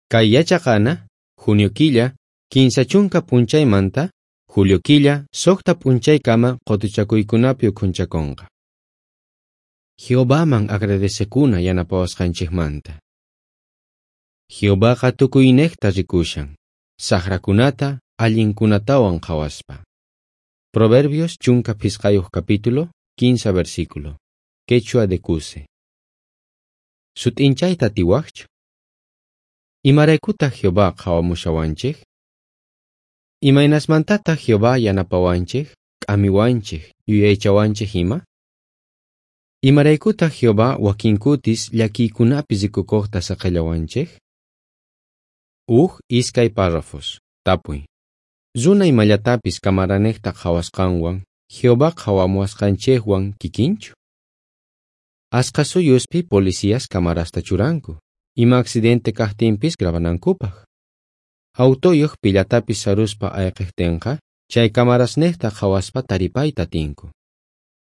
Kay yachaqana, junio killa, 30 p'unchaymanta, julio killa, 6 p'unchaykama qotuchakuykunapi ukhunchakonqa. Jehovaman agradecekuna yanapawasqanchikmanta. Jehovaqa tukuynejta rikushan, sajrakunata allinkunatawan qhawaspa. Proverbios 15 capítulo, 15 versículo. Quechua de Cuse. Sut'inchayta atiwajchu? Imaraykutaq Jehová qhawamushawanchik? Imaynasmantataq Jehová yanapawanchik, k'amiwanchik, yuyaychawanchik ima? Imaraykutaq Jehová wakin kutis llakiykunapi rikukuqta saqellawanchik? Uj iskay párrafos. Tapuy. Runa imallatapis camaranejta qhawasqanwan, Jehová qhawamuwasqanchikwan kikinchu? Ashkha suyuspi policías camarasta churanku, ima accidente kajtinpis grabanankupaj. Autoyuq pillatapis saruspa ayqejtinqa, chay camarasnejta qhawaspa taripayta atinku.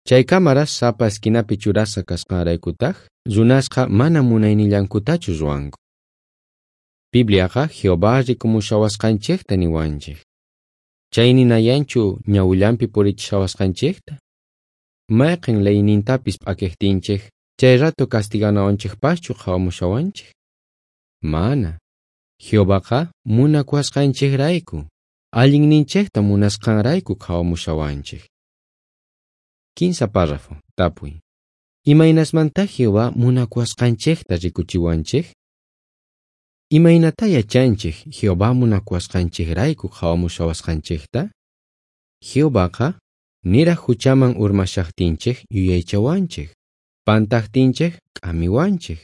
Chay cámaras sapa esquinapi churasqa kasqanraykutaj, runasqa mana munaynillankutachu ruwanku. Bibliaqa Jehová rikumushawasqanchikta niwanchik. Chay ninayanchu ñawillanpi purichishawasqanchikta? Mayqin leynintapis p'akejtinchik, chay rato castiganawanchikpaschu qhawamushawanchik? Mana. Jehovaqa munakuwasqanchikrayku, allinninchikta munasqanrayku qhawamushawanchik. 15 párrafo. Tapuy. Imaynasmanta Jehová munakuwasqanchikta rikuchiwanchik? Imaynata yachanchik Jehová munakuwasqanchikrayku qhawamushawasqanchikta? Jehovaqa niraj huchaman urmashajtinchik yuyaychawanchik, pantajtinchik k'amiwanchik,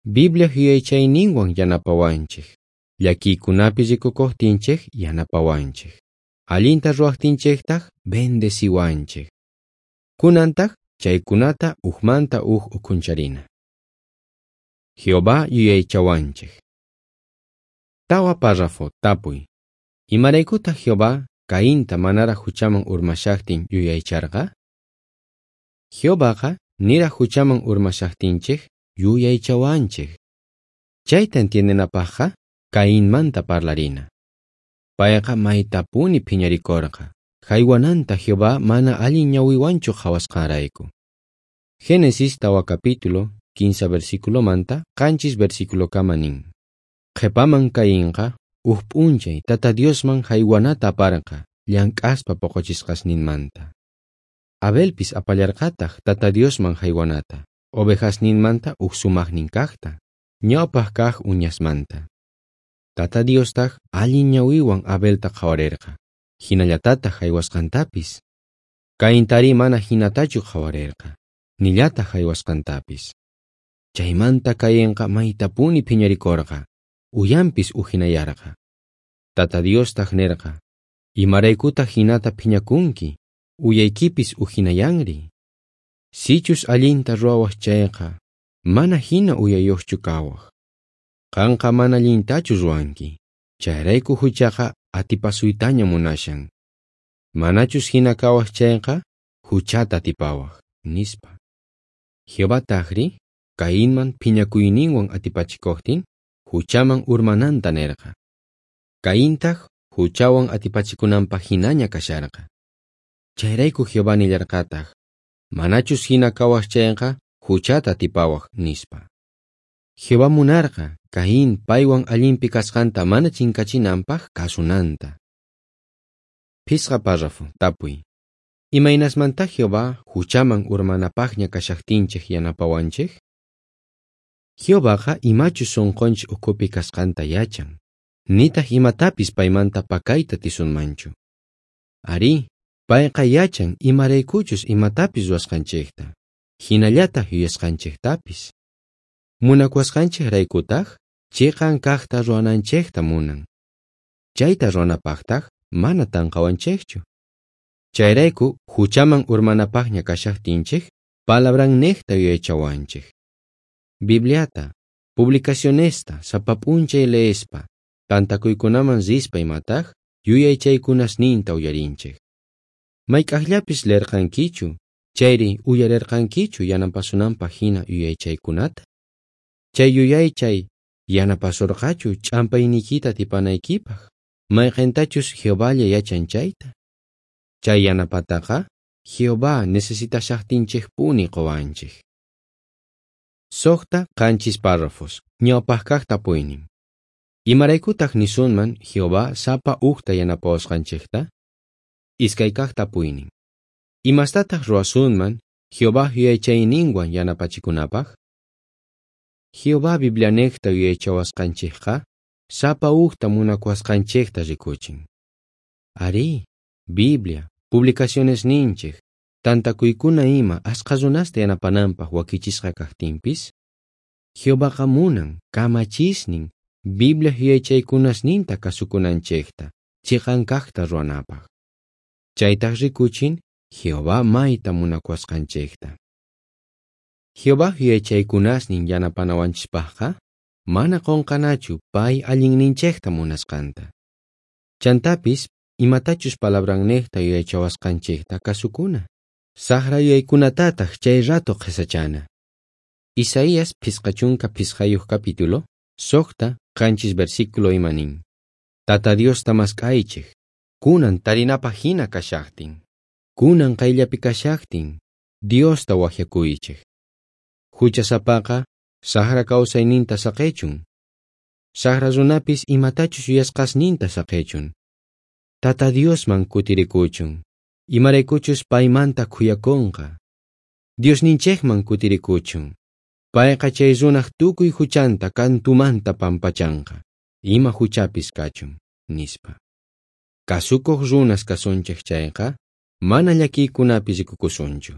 Biblia yuyaychayninwan yanapawanchik, llakiykunapi rikukuqtinchik yanapawanchik, allinta ruwajtinchiktaq bendeciwanchik. Kunantaq chaykunata ujmanta uj ukhuncharina. Jehová yuyaychawanchik. 4 párrafo. Tapuy. Imaraykutaq Jehová Cainta manaraj huchaman urmashajtin yuyaycharqa? Jehovaqa niraj huchaman urmashajtinchik yuyaychawanchik. Chayta entiendenapajqa Cainmanta parlarina. Payqa maytapuni phiñarikorqa, jaywananta Jehová mana allin ñawiwanchu qhawasqanrayku. Génesis 4 capítulo, 15 versículomanta, 7 versículokama nin. Qhepaman Cainqa uj p'unchay Tata Diosman jaywanata aparqa, llank'aspa poqochisqasninmanta. Abelpis apallarqataq Tata Diosman jaywanata, ovejasninmanta uj sumajnin kajta, ñawpaj kaj uñasmanta. Tata Diostaq allin ñawiwan Abelta qhawarerqa, hinallatataq jaywasqantapis. Caintari mana hinatachu qhawarerqa, nillataq jaywasqantapis. Chaymanta Cainqa maytapuni phiñarikorqa, uyanpis ujinayarqa. Tata Diostaq nerqa, imaraykutaq hinata phiñakunki, uyaykipis ujinayanri. Sichus allinta ruwawaj chayqa, mana hina uyayuqchu kawaj. Qanqa mana allintachu ruwanki, chayrayku huchaqa atipasuytaña munashan. Manachus hina kawaj chayqa, huchata atipawaj, nispa. Jehová tajri, Cainman phiñakuyninwan atipachikuqtin, huchaman urmananta nerqa. Caintaq huchawan atipachikunanpaj hinaña kasharqa. Chayrayku Jehová nillarqataq, manachus hina kawaj chayqa, huchata atipawaj, nispa. Jehová munarqa Caín paywan allinpi kasqanta mana chinkachinanpaj kasunanta. 5 párrafo. Tapuy. Imaynasmanta Jehová huchaman urmanapajña kashajtinchik yanapawanchik? Jehovaqa imachus sunqunchik ukhupi kasqanta yachan, nitaq imatapis paymanta pakayta tisunmanchu. Arí, payqa yachan imaraykuchus imatapis ruwasqanchikta, hinallataq yuyasqanchiktapis. Munakuwasqanchikraykutaq chiqan kajta ruwananchikta munan. Chayta ruwanapaqtaq mana tanqawanchikchu. Chayrayku huchaman urmanapaqña kashajtinchik, palabrannejta yuyaychawanchik. Bibliata, publicacionesta, sapa p'unchay leespa, tantakuykunaman rispa imataq, yuyaychaykunasninta uyarinchik. Mayk'ajllapis leerqankichu, chayri uyarerqankichu yanapasunanpaq hina yuyaychaykunata? Chay yuyaychay Yanapasorqachu ch'ampayniykita atipanaykipaj, mayqentachus Jehovalla yachan chayta? Chay yanapataqa Jehová necesitashajtinchejpuni qowanchej. 6 7 párrafos, ñawpaj tapuynin. Imaraykutaj nisunman Jehová sapa ujta yanapawasqanchejta? 2 tapuynin. Imastataj ruwasunman Jehová yuyaychayninwan yanapachikunapaj? Jehová Biblianejta yuyaychawasqanchejqa sapa ujta munakuwasqanchejta rikuchin. Arí, Biblia, publicacionesninchej, tantakuykuna ima ashkha runasta yanapananpaj wakichisqa kajtinpis, Jehovaqa munan kamachisnin Biblia yuyaychaykunasninta kasukunanchejta, chiqan kajta ruwanapaj. Chaytaj rikuchin Jehová mayta munakuwasqanchejta. Jehová yuyaychaykunasnin yanapanawanchikpajqa mana qonqanachu pay allinninchejta munasqanta. Chantapis imatachus palabrannejta yuyaychawasqanchejta kasukuna. Sajra yuyaykunatataj chay rato qhesachana. Isaías 55 capítulo, 6 7 versículo ima nin. Tata Diosta mask'aychej, kunan tarinapaj jina kashajtin, kunan qayllapi kashajtin, Diosta wajyakuychej. Juchasapaqa sajra kawsayninta saqechun. Sajra runapis imatachus yuyasqasninta saqechun. Tata Diosman kutirikuchun, imaraykuchus paymanta khuyakonqa. Diosninchejman kutirikuchun, payqa chay runaj tukuy juchanta kantumanta pampachanqa, ima juchapis kachun, nispa. Kasukuq runas kasunchej chayqa, mana llakiykunapi rikukusunchu.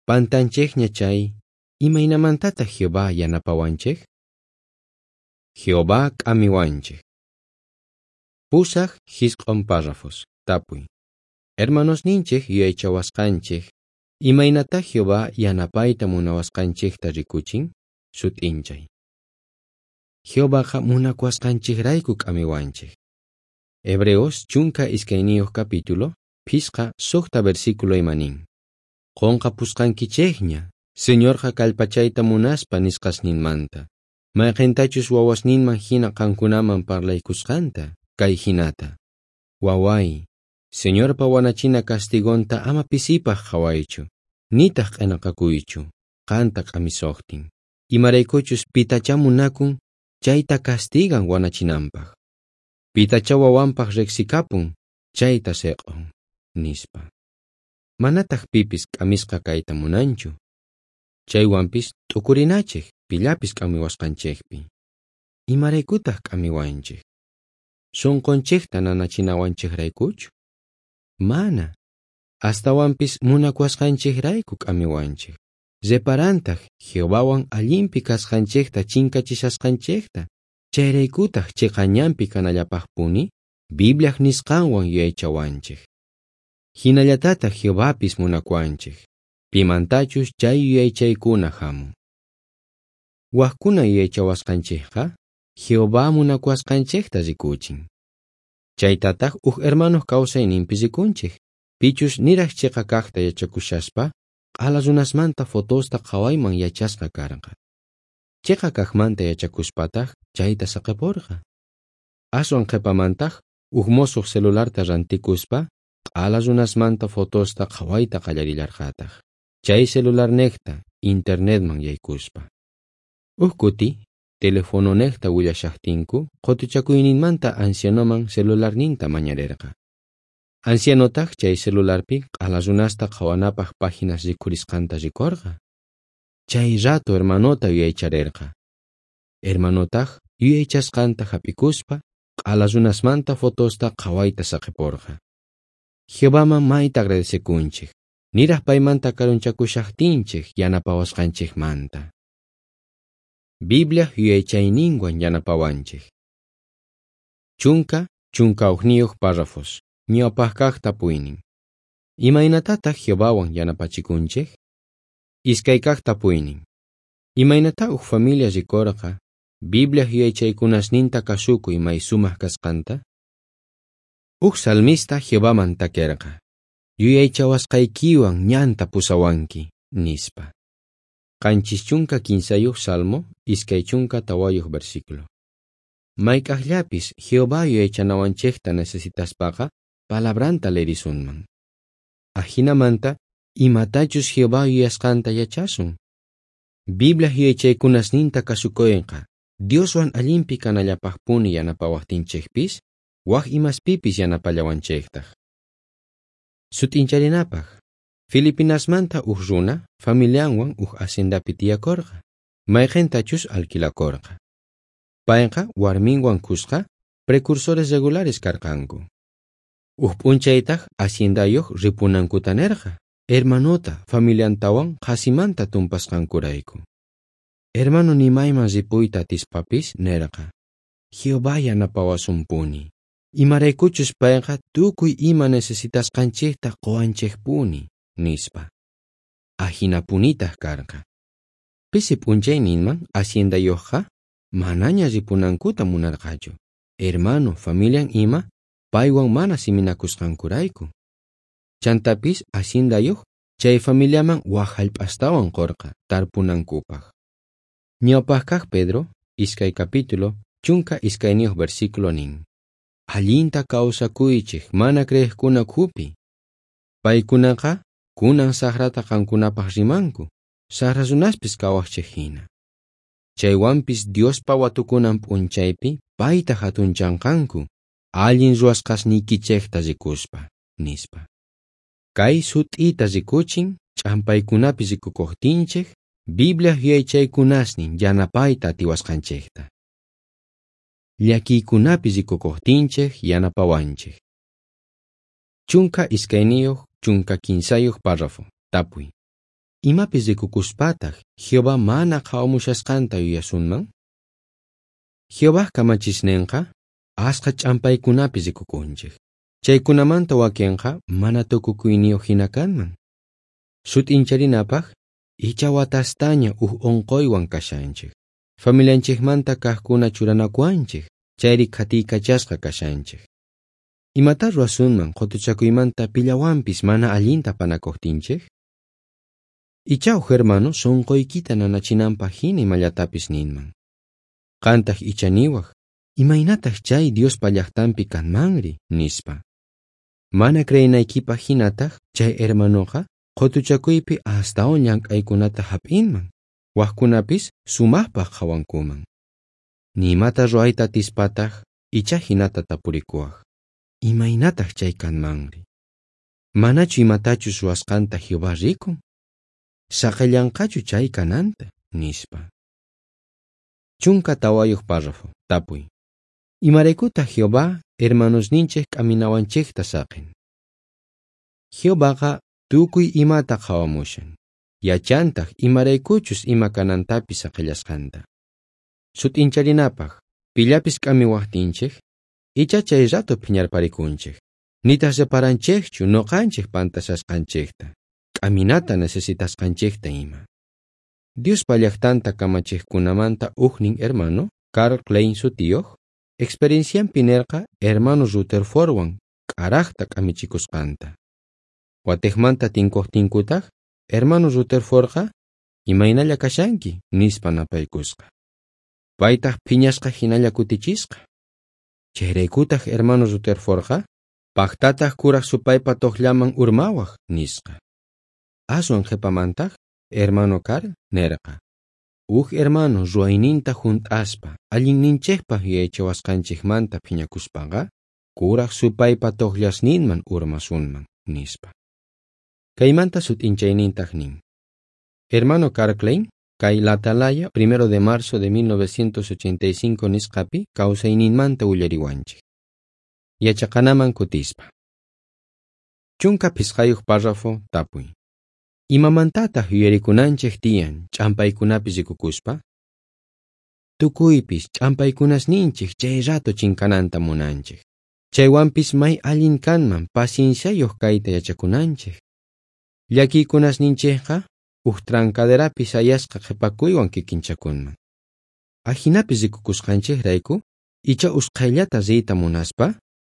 Pantanchejña chay, imaynamantataq Jehová yanapawanchej? Jehová k'amiwanchej. 8 9 párrafos, tapuy. Hermanosninchej yuyaychawasqanchej, imaynatá Jehová yanapayta munawasqanchejta rikuchin? Sut'inchay. Jehovaqa munakuwasqanchejrayku k'amiwanchej. Hebreos 12 capítulo, 5 6 versículo ima nin. Qonqapusqankichejña, Señorqa kallpachayta munaspa nisqasninmanta, mayqentachus wawasninman hina qankunaman parlaykusqanta, kay hinata. Waway, Señorpa wanachina castigonta ama pisipaj qhawaychu, nitaj q'enaqakuychu, qanta k'amisojtin. Imaraykuchus pitachá munakun, chayta castigan wanachinanpaj. Pitachá wawanpaj riqsikapun, chayta seq'on, nispa. Manataj pipis k'amisqa kayta munanchu. Chaywanpis t'ukurinachej pillapis k'amiwasqanchejpi. Imaraykutaj k'amiwanchej? Sunqunchejta nanachinawanchejraykuchu? Mana. Astawanpis munakuwasqanchejrayku k'amiwanchej. Reparantaj Jehovawan allinpi kasqanchejta chinkachishasqanchejta. Chayraykutaj chiqa ñanpi kanallapajpuni Bibliaj nisqanwan yuyaychawanchej. Hinallatataj Jehovapis munakuwanchej. Pimantachus chay yuyaychaykuna hamun. Wajkuna yuyaychawasqanchejqa Jehová munakuwasqanchejta rikuchin. Chaytataj uj hermanos kawsayninpi rikunchej, pichus niraj chiqa kajta yachakushaspa, q'ala runasmanta fotosta qhawayman yachasqa karqa. Chiqa kajmanta yachakuspataj chayta saqeporqa. Aswan qhepamantaj uj mosuq celularta rantikuspa, q'ala runasmanta fotosta qhawayta qallarillarqataj. Chay celularnejta internetman yaykuspa. Uj kuti telefononejta willashajtinku qutuchakuyninmanta ancianoman celularninta mañarerqa. Ancianotaj chay celularpi q'ala runasta qhawanapaj páginas rikhurisqanta rikorqa. Chay rato hermanota yuyaycharerqa. Hermanotaj yuyaychasqanta hap'ikuspa q'ala runasmanta fotosta qhawayta saqeporqa. Jehovaman mayta agradecekunchej, niraj paymanta karunchakushajtinchej yanapawasqanchejmanta. Biblia yuyaychayninwan yanapawanchej. 10 11 párrafos, ñawpaj tapuynin. Imaynatataq Jehovawan yanapachikunchej? 2 tapuynin. Imaynatá uj familia rikorqa Biblia yuyaychaykunasninta kasukuy may sumaq kasqanta? Uj salmista Jehovaman takerqa, yuyaychawasqaykiwan ñanta pusawanki, nispa. 73 Salmo, 24 versículo. Mayk'ajllapis Jehová yuyaychanawanchejta necesitaspaqa palabranta leerisunman. Ajinamanta imatachus Jehová yuyasqanta yachasun. Biblia yuyaychaykunasninta kasukoyqa Dioswan allinpi kanallapajpuni yanapawajtinchejpis, waj imaspipis yanapallawanchejtaj. Sut'incharinapaj, Filipinasmanta uj runa familianwan uj haciendapi tiyakorqa, mayqentachus alquilakorqa. Payqa warminwan kusqa precursores regulares karqanku. Uj p'unchaytaj haciendayoj ripunankuta nerqa, hermanota familiantawan qhasimanta tumpasqankurayku. Hermano ni mayman ripuyta atispapis nerqa, Jehová yanapawasunpuni, imaraykuchus payqa tukuy ima necesitasqanchejta qowanchejpuni, nispa. Ajinapunitaj karqa. Pisi p'unchayninman haciendayojqa manaña ripunankuta munarqachu, hermano familian ima paywan mana siminakusqankurayku. Chantapis haciendayoj chay familiaman waj jallp'astawan qorqa tarpunankupaj. Ñawpaj kaj Pedro, 2 capítulo, 12 versículo nin. Allinta kawsakuychej mana creejkuna ukhupi. Paykunaqa kunan sajrata qankunapaj rimanku, sajra runaspis kawajchej jina. Chaywanpis Diospa watukunan p'unchaypi payta jatunchanqanku, allin ruwasqasniykichejta rikuspa, nispa. Kay sut'ita rikuchin ch'ampaykunapi rikukojtinchej, Biblia yuyaychaykunasnin yanapayta atiwasqanchejta. Llakiykunapi rikukojtinchej yanapawanchej. 12, 13 párrafo. Tapuy. Imapis rikukuspataj Jehová mana qhawamushasqanta yuyasunman? Jehovaj kamachisnenqa asqa ch'ampaykunapi rikukunchej. Chaykunamanta wakenqa mana tukukuyniyoj jina kanman. Sut'incharinapaj, icha watastaña uj onqoywan kashanchej. Familianchejmanta kajkuna churanakuwanchej, chayri qhatiykachasqa kashanchej. Imatá ruwasunman qotuchakuymanta pillawanpis mana allinta panakojtinchej? Icha uj hermano sonqoykita nanachinanpaj jina imallatapis ninman. Qantaj icha niwaj, imaynataj chay Diospa llajtanpi kanmanri, nispa. Mana creenaykipaj jinataj chay hermanoqa qotuchakuypi astawan llank'aykunata jap'inman, wajkunapis sumajpaj qhawankuman. Ni imata ruwayta atispataj icha jinata tapurikuwaj, imaynataj chay kanmanri? Manachu imatachus ruwasqanta Jehová rikun? Saqellanqachu chay kananta, nispa. 14 párrafo. Tapuy. Imaraykutaj Jehová hermanosninchej k'aminawanchejta saqen? Jehovaqa tukuy imata qhawamushan, yachantaj imaraykuchus ima kanantapis saqellasqanta. Sut'incharinapaj, pillapis k'amiwajtinchej, icha chay rato phiñarparikunchej, nitaj reparanchejchu noqanchej pantashasqanchejta, k'aminata necesitasqanchejta ima. Diospa llajtanta kamachejkunamanta ujnin hermano, Karl Klein sutiyoj, experiencianpi nerqa hermano Rutherfordwan k'arajta k'amichikusqanta. Watejmanta tinkojtinkutaj, hermano Rutherfordqa imaynalla kashanki, nispa napaykusqa. Paytaj phiñasqa jinalla kutichisqa. Chayraykutaj hermano Rutherfordqa pajtataj kuraj supaypa tojllaman urmawaj, nisqa. Aswan qhepamantaj hermano Karl nerqa, uj hermano ruwayninta junt'aspa allinninchejpaj yuyaychawasqanchejmanta phiñakuspaqa kuraj supaypa tojllasninman urmasunman, nispa. Kaymanta sut'inchaynintaj nin. Hermano Karl Klein, kay La Atalaya, 1 de marzo de 1985 nisqapi kawsayninmanta willariwanchej. Yachaqanaman kutispa. 15 párrafo. Tapuy. Imamantataj yuyarikunanchej tiyan ch'ampaykunapi rikukuspa? Tukuypis ch'ampaykunasninchej chay rato chinkananta munanchej. Chaywanpis may allin kanman pacienciayoj kayta yachakunanchej. Llakiykunasninchejqa uj trancaderapi sayasqa qhepakuywan kikinchakunman. Ajinapi rikukusqanchejrayku, icha usqhayllata riyta munaspa,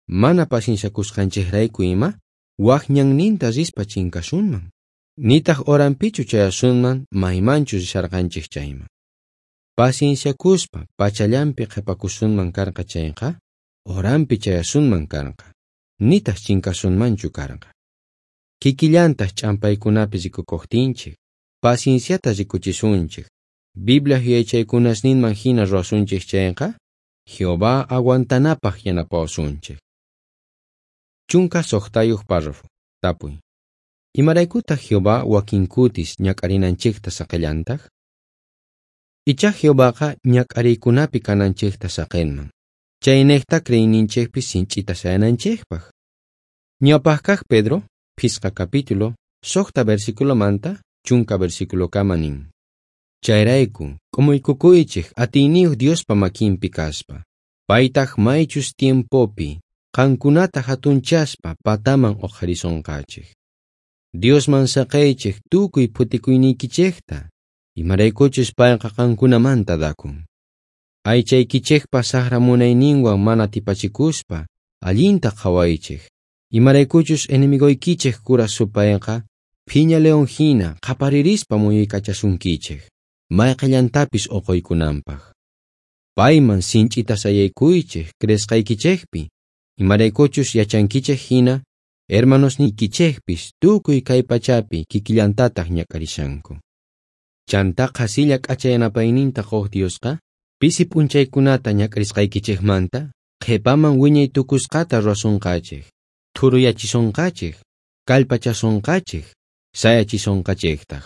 mana pacienciakusqanchejrayku ima, waj ñanninta rispa chinkasunman. Nitaj horanpichu chayasunman maymanchus risharqanchej chayman. Pacienciakuspa pachallanpi qhepakusunman karqa chayqa, horanpi chayasunman karqa, nitaj chinkasunmanchu karqa. Kikillantaj ch'ampaykunapi rikukojtinchej, pacienciata rikuchisunchej, Biblia yuyaychaykunasninman hina ruwasunchej chayqa, Jehová aguantanapaj yanapawasunchej. 16 párrafo. Tapuy. Imaraykutaq Jehová wakinkutis ñak'arinanchejta saqellantaj? Icha Jehovaqa ñak'ariykunapi kananchejta saqenman. Chaynejta creeyninchejpi sinch'ita sayananchejpaj. Ñawpajkaj Pedro, 5 capítulo, 6 versículomanta, 10 versículokama nin. Chayrayku, k'umuykukuychej atiyniyuq Diospa makinpi kaspa. Paytaj maychus tiempopi, qankunata hatunchaspa pataman uqharisonqachej. Diosman saqeychej tukuy phutikuyniykichejta, imaraykuchus payqa qankunamanta dakun. Aychaykichejpa saqra munayninwan mana tipachikuspa, allinta qhawaychej, imaraykuchus enemigoykichej kura supayqa, phiña león hina qhaparirispa muyuykachasunkichej, mayqellantapis uquykunanpaj. Payman sinch'ita sayaykuychej creesqaykichejpi, imaraykuchus yachankichej hina, hermanosniykichejpis tukuy kay pachapi kikillantataj ñak'arishanku. Chantá qhasilla k'acha yanapayninta quq Diosqa, pisi p'unchaykunata ñak'arisqaykichejmanta, qhepaman wiñay tukusqata ruwasunqachej, thuruyachisonqachej, kallpachasonqachej, sayachisonqachejtaj.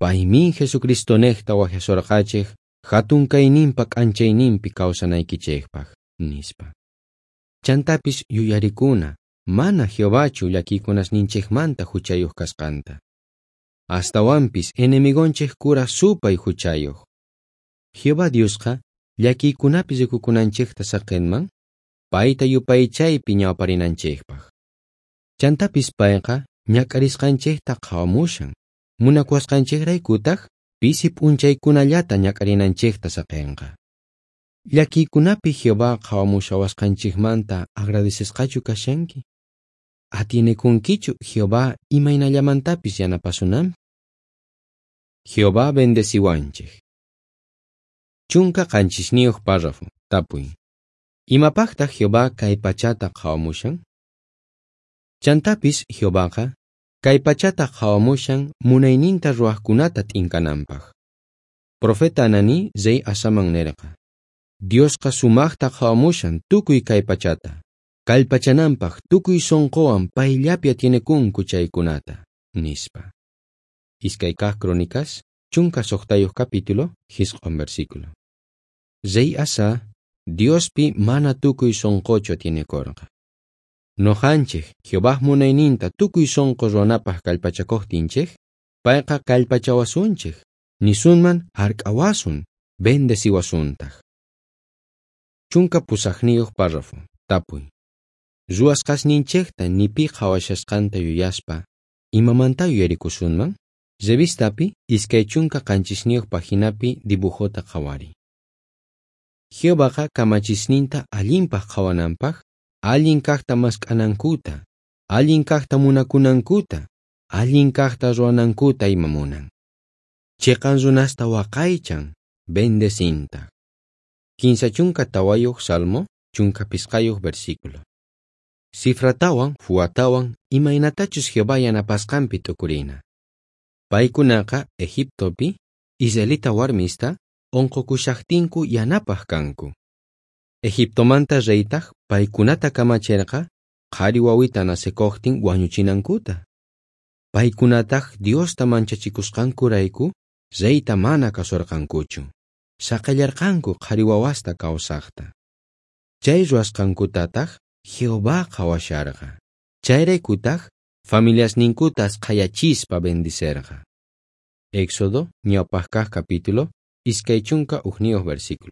Paymin Jesucristonejta wajyasorqachej hatun kayninpa k'anchayninpi kawsanaykichejpaj, nispa. Chantapis yuyarikuna, mana Jehovachu llakiykunasninchejmanta huchayuq kasqanta. Astawanpis enemigonchej kura supay huchayuq. Jehová Diosqa llakiykunapi rikukunanchejta saqenman, payta yupaychaypi ñawparinanchejpaj. Chantapis payqa ñak'arisqanchejta qhawamushan, munakuwasqanchejraykutaj pisi p'unchaykunallata ñak'arinanchejta saqenqa. Llakiykunapi Jehová qhawamushawasqanchejmanta agradecesqachu kashanki? Atienekunkichu Jehová imaynallamantapis yanapasunanpi? Jehová bendeciwanchej. 17 párrafo. Tapuy. Imapajtaj Jehová kay pachata qhawamushan? Chantapis Jehovaqa kay pachata qhawamushan munayninta ruwajkunata t'inkananpaj. Profeta Anani rey Asaman nerqa: Diosqa sumajta qhawamushan tukuy kay pachata, kallpachananpaj tukuy sonqowan payllapi atienekunku chaykunata, nispa. 2 kaj Crónicas, 16 capítulo, 9 versículo. Rey Asa, Diospi mana tukuy sonqochu atienekorqa. Noqanchej Jehovaj munayninta tukuy sonqo ruwanapaj kallpachakojtinchej, payqa kallpachawasunchej, nisunman hark'awasun, bendeciwasuntaj. 18 párrafo. Tapuy. Ruwasqasninchejta ni pi qhawashasqanta yuyaspa, imamanta yuyarikusunman? Revistapi 27 paginapi dibujota qhawariy. Jehovaqa kamachisninta allinpaj qhawananpaj, allin kajta mask'anankuta, allin kajta munakunankuta, allin kajta ruwanankuta ima munan. Chiqan runasta waqaychan, bendecintaj. 34 Salmo, 15 versículo. Cifratawan, Fuatawan, imaynatachus Jehová yanapasqanpi t'ukurina. Paykunaqa Egiptopi, israelita warmista, unqukushajtinku yanapaj kanku. Egiptomanta reytaj paykunata kamacherqa qhari wawita nacekojtin wañuchinankuta. Paykunataj Diosta manchachikusqankurayku reyta mana kasorqankuchu. Saqellarqanku qhari wawasta kawsajta. Chay ruwasqankutataj Jehová qhawasharqa. Chayraykutaj familiasninkutas qhayachispa bendicerqa. Éxodo ñawpajkaj capítulo 21 versículo.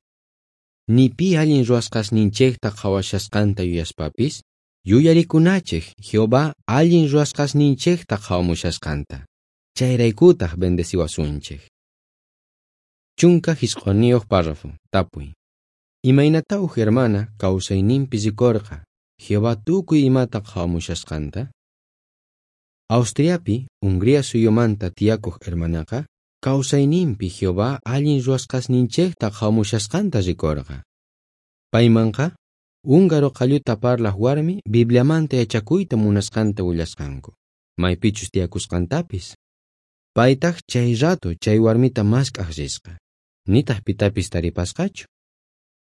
Ni pi allin ruwasqasninchejta qhawashasqanta yuyaspapis, yuyarikunachej Jehová allin ruwasqasninchejta qhawamushasqanta. Chayraykutaj bendeciwasunchej. 19 párrafo. Tapuy. Imaynata uj hermana kawsayninpi rikorqa Jehová tukuy imata qhawamushasqanta? Austriapi, Hungría suyumanta tiyakoj hermanaqa, kawsayninpi Jehová allin ruwasqasninchejta qhawamushasqanta rikorqa. Paymanqa, húngaro qalluta parlaj warmi Bibliamanta yachakuyta munasqanta willasqanku, maypichus tiyakusqantapis. Paytaj chay rato chay warmita mask'aj risqa, nitaj pitapis taripasqachu.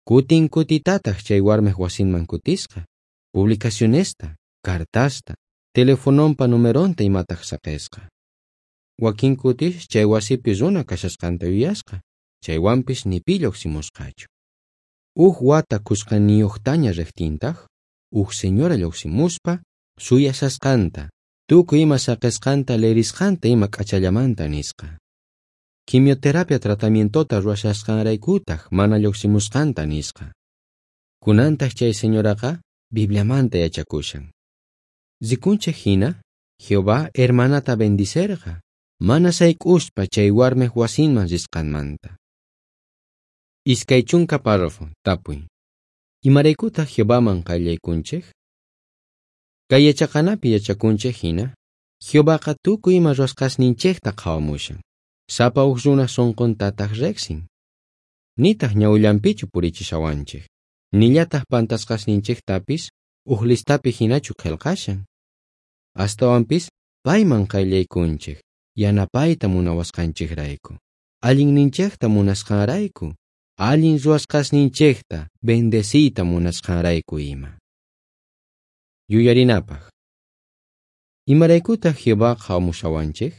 Kutin kutitataj chay warmej wasinman kutisqa, publicacionesta, cartasta, telefonompa numeronta imataj saqesqa. Wakin kutis chay wasipi runa kashasqanta yuyasqa, chaywanpis ni pi lluqsimusqachu. Uj wata kusqaniyuqtaña riqtintaq, uj señora lluqsimuspa suyashasqanta, tukuy ima saqesqanta leerisqanta ima k'achallamanta nisqa. Quimioterapia tratamientota ruwashasqanraykutaq mana lluqsimusqanta nisqa. Kunantaq chay señoraqa Bibliamanta yachakushan. Rikunchej hina, Jehová hermanata bendicerqa, mana sayk'uspa chay warmej wasinman risqanmanta. 20 párrafo, tapuy. Imaraykutaq Jehovaman qayllaykunchej? Kay yachaqanapi yachakunchej hina, Jehovaqa tukuy ima ruwasqasninchejta qhawamushan. Sapa uj runa sunquntataq riqsin. Nitaq ñawillanpichu purichishawanchej. Nillataq pantasqasninchejtapis uj listapi hinachu qillqashan. Astawanpis payman qayllaykunchej, yanapayta munawasqanchejrayku, allinninchejta munasqanrayku, allin ruwasqasninchejta bendeciyta munasqanrayku ima. Yuyarinapaj. Imaraykutaq Jehová qhawamushawanchej?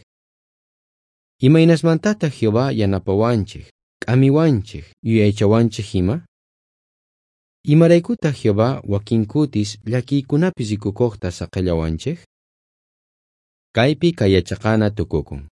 Imaynasmantataq Jehová yanapawanchej, k'amiwanchej, yuyaychawanchej ima? Imaraykutaq Jehová wakin kutis llakiykunapi rikukojta saqellawanchej? Kaypi kay yachaqana tukukun.